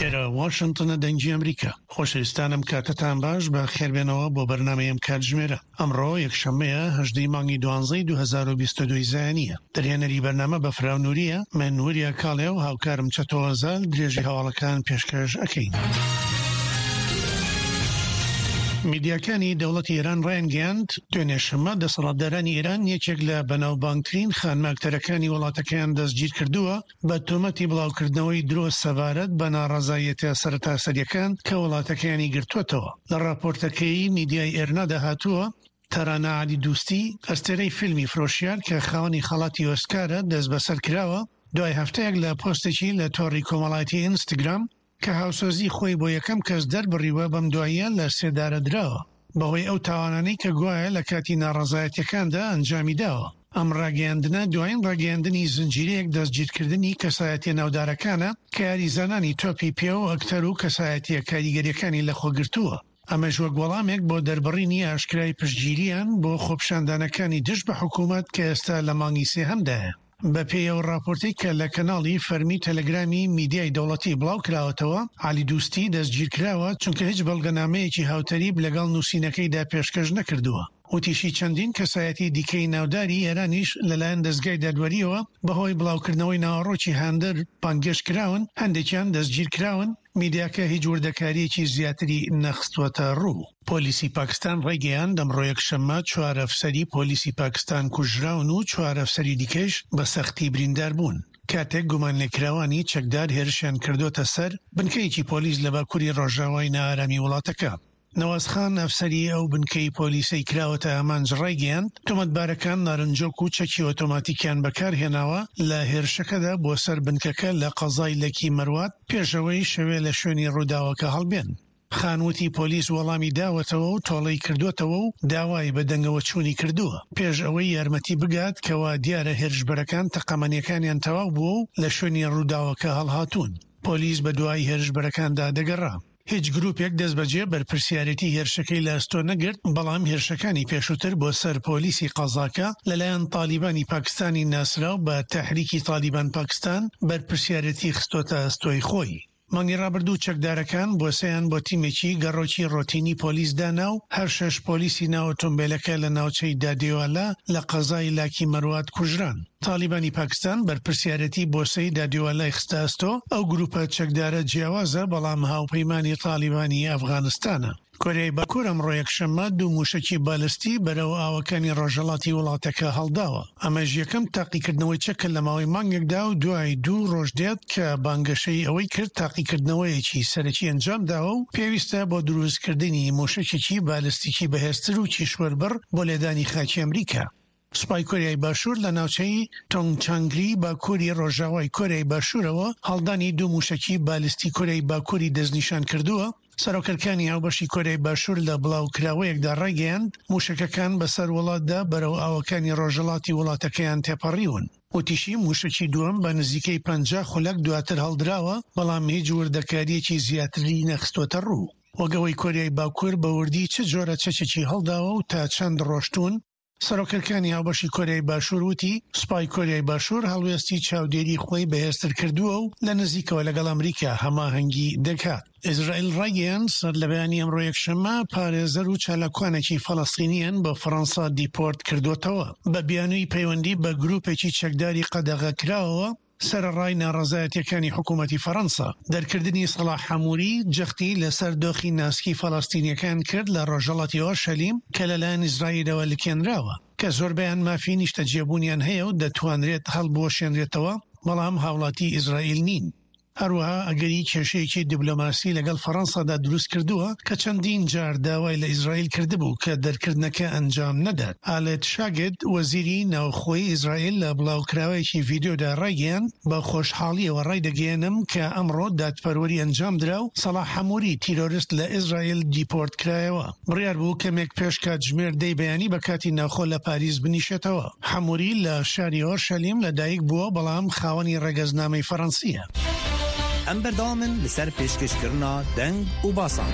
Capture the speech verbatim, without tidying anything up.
ئێرە واشنتنە، دەنگی ئەمریکا. خۆشەویستانم، کاتتان باش، بە خێربێنەوە بۆ بەرنامەی ئەم کاتژمێرە. ئەمڕۆ یەکشەممەیە، هەژدەی مانگی دوانزەی دوو هەزار و بیست و دوو زایینیە. دەرهێنەری بەرنامە بەفراو نووریە، من وریا کاڵێ و هاوکارم چەتۆزال درێژی هەواڵەکان پێشکەش ئەکەین. میدیاکانی دەوڵەتی ئێران ڕایانگەیاند، دوێنێ شەممە دەسەڵاتدارانی ئێران یەکێک لە بەناوبانگترین خانمە ئەکتەرەکانی وڵاتەکەیان دەستگیر کردووە بە تۆمەتی بڵاوکردنەوەی درۆ سەبارەت بە ناڕەزایەتە سەرتاسەریەکان کە وڵاتەکەیانی گرتووەتەوە. لە راپۆرتەکەی میدیای ئێرنادا هاتووە، تەرانە عەلی دوستی، ئەستێرەی فیلمی فرۆشیار کە خاوەنی خەڵاتی ئۆسکارە، دەست بەسەر کراوە دوای هەفتەیەک لە پۆستێکی لە تۆڕی کۆمەڵایەتی ئینستاگرام کە هاوسۆزی خۆی بۆ یەکەم کەس دەربڕیوە بەم دواییە لە سێدارە دراوە بەهۆی ئەو تاوانانەی کە گوایە لە کاتی ناڕەزایەتیەکاندا ئەنجامی داوە. ئەم ڕاگەیاندنە دوایین ڕاگەیاندنی زنجیرەیەک دەستگیرکردنی کەسایەتیە ناودارەکانە کە یاریزانانی تۆپی پێ و ئەکتەر و کەسایەتیە کاریگەریەکانی لەخۆگرتووە، ئەمەش وەک وەڵامێک بۆ دەربڕینی ئاشکرای پشتگیریان بۆ خۆپیشاندانەکانی دژ بە حکوومەت کە ئێستا لە مانگی سێهەمدایە. بەپێی ئەو راپۆرتەی کە لە کەناڵی فەرمی تەلەگرامی میدیای دەوڵەتی بڵاو کراوەتەوە، عەلی دوستی دەستگیرکراوە چونکە هیچ بەڵگەنامەیەکی هاوتەریب لەگەڵ نووسینەکەیدا پێشکەش نەکردووە. وتیشی چەندین کەسایەتی دیکەی ناوداری ئێرانیش لەلایەن دەستگای دادوەریەوە بەهۆی بڵاوکردنەوەی ناوەڕۆکی هاندەر بانگێشت کراون، هەندێکیان دەستگیر کراون. میدیاکە هیچ وردەکاریەکی زیاتری نەخستووەتە ڕوو. پۆلیسی پاکستان ڕایگەیاند، ئەمڕۆ یەکشەممە چوار ئەفسەری پۆلیسی پاکستان کوژراون و چوار ئەفسەری دیکەش بە سەختی بریندار بوون کاتێک گومانلێکراوانی چەکدار هێرشیان کردوتە سەر بنکەیەکی پۆلیس لە باکووری ڕۆژاوای نائارامی وڵاتەکە. نەواز خان، ئەفسەری ئەو بنکەی پۆلیسەی کراوەتە ئامانج، ڕایگەیاند تۆمەتبارەکان نارنجۆک و چەکی ئۆتۆماتیکیان بەکارهێناوە لە هێرشەکەدا بۆ سەر بنکەکە لە قەزای لەکی مەروات پێشەوەی شەوێ لە شوێنی ڕووداوەکە هەڵبێن. خان وتی پۆلیس وەڵامی داوەتەوە و تۆڵەی کردوتەوە و داوای بەدەنگەوە چوونی کردووە پێش ئەوەی یارمەتی بگات کەوا دیارە هێرشبەرەکان تەقەمەنیەکانیان تەواو بووە و لە شوێنی ڕووداوەکە هەڵهاتوون. پۆلیس بە دوای هێرشبەرەکاندا دەگەڕا. هیچ گروپێک دەست بەجێ بەرپرسیارەتی هێرشەکەی لە ئەستۆ نەگرت، بەڵام هێرشەکانی پێشووتر بۆ سەر پۆلیسی قەزاکە لەلایەن تالیبانی پاکستانی ناسراو بە تەحریکی تالیبان پاکستان بەرپرسیارەتی خستۆتە ئەستۆی خۆی. مانگی ڕابردوو چەکدارەکان بۆسەیان بۆ تیمێکی گەڕۆکی ڕۆتینی پۆلیس دانا و هەر شەش پۆلیسی ناو ئۆتۆمبیلەکە لە ناوچەی دادیوالا لە قەزای لاکی مەروات کوژران. تالیبانی پاکستان بەرپرسیارەتی بۆسەی دادیوالای خستە ئەستۆ. ئەو گروپە چەکدارە جیاوازە، بەڵام هاوپەیمانی تالیبانی ئەفغانستانە. کۆریای باکوور ئەمڕۆ یەکشەممە دوو موشکی بالستی بەرەو ئاوەکانی ڕۆژهەڵاتی وڵاتەکە هەڵداوە. ئەمەش یەکەم تاقیکردنەوەی چەکە لە ماوەی مانگێکدا و دوای دوو ڕۆژ دێت کە بانگەشەی ئەوەی کرد تاقیکردنەوەیەکی سەرەکی ئەنجام داوە و پێویستە بۆ دروستکردنی موشکێکی بالستیکی بەهێزتر و کیشوەربڕ بۆ لێدانی خاکی ئەمریکا. سوپای کۆریای باشوور لە ناوچەی تۆنگچانگری باکووری ڕۆژاوای کۆریای باشوورەوە هەڵدانی دوو موشکی بالستی کۆریای باکووری دەستنیشان کردووە. سەرۆکەرکانی هاوبەشی کۆریای باشوور لە بڵاوکراوەیەکدا ڕایگەیاند موشەکەکان بەسەر وڵاتدا بەرەو ئاوەکانی ڕۆژهەڵاتی وڵاتەکەیان تێپەڕیون. وتیشی موشکی دووەم بە نزیکەی پەنجا خولەک دواتر هەڵدراوە، بەڵام هیچ وردەکاریەکی زیاتری نەخستۆتە ڕوو وەک ئەوەی کۆریای باکوور بە وردی چ جۆرە چەکێکی هەڵداوە و تا چەند ڕۆشتون. سەرۆکەرکانی هاوبەشی کۆریای باشوور وتی سوپای کۆریای باشوور هەڵوێستی چاودێری خۆی بەهێزتر کردووە و لە نزیکەوە لەگەڵ ئەمریکا هەماهەنگی دەکات. ئیسرائیل ڕایگەیاند سەر لە بەیانی ئەمڕۆ یەکشەممە پارێزەر و چالاکوانێکی فەلەستینیان بۆ فەڕەنسا دیپۆرت کردوتەوە بە بیانووی پەیوەندی بە گروپێکی چەکداری قەدەغە کراوەوە. سەرەڕای ناڕەزایەتیەکانی حکوومەتی فەڕەنسا، دەرکردنی سەڵاح حەموری جەختی لەسەر دۆخی ناسکی فەلەستینیەکان کرد لە ڕۆژهەڵاتی ئۆرشەلیم کە لەلایەن ئیسرائیلەوە لکێنراوە، کە زۆربەیان مافی نیشتەجێبوونیان هەیە و دەتوانرێت هەڵبوەشێنرێتەوە، بەڵام هاوڵاتی ئیسرائیل نین. هەروەها ئەگەری کێشەیەکی دیبلۆماسی لەگەڵ فەڕەنسادا دروست کردووە کە چەندین جار داوای لە ئیسرائیل کردبوو کە دەرکردنەکە ئەنجام نەدات. ئالێت شاگد، وەزیری ناوخۆی ئیسرائیل، لە بڵاوکراوەیەکی ڤیدیۆدا ڕایگەیاند بە خۆشحاڵیەوە ڕایدەگەیەنم کە ئەمڕۆ دادپەروەری ئەنجام درا و سەڵاح حەموری تیرۆرست لە ئیسرائیل دیپۆرت کرایەوە. بڕیار بوو کەمێک پێش کاتژمێر دەی بەیانی بە کاتی ناوخۆ لە پاریس بنیشێتەوە. حەموری لە شاری ئۆرشەلیم لەدایک بووە، بەڵام خاوەنی ڕەگەزنامەی فەڕەنسیە. ئەم بەردەوامن لەسەر پێشکەشکردنا دەنگ و باسان.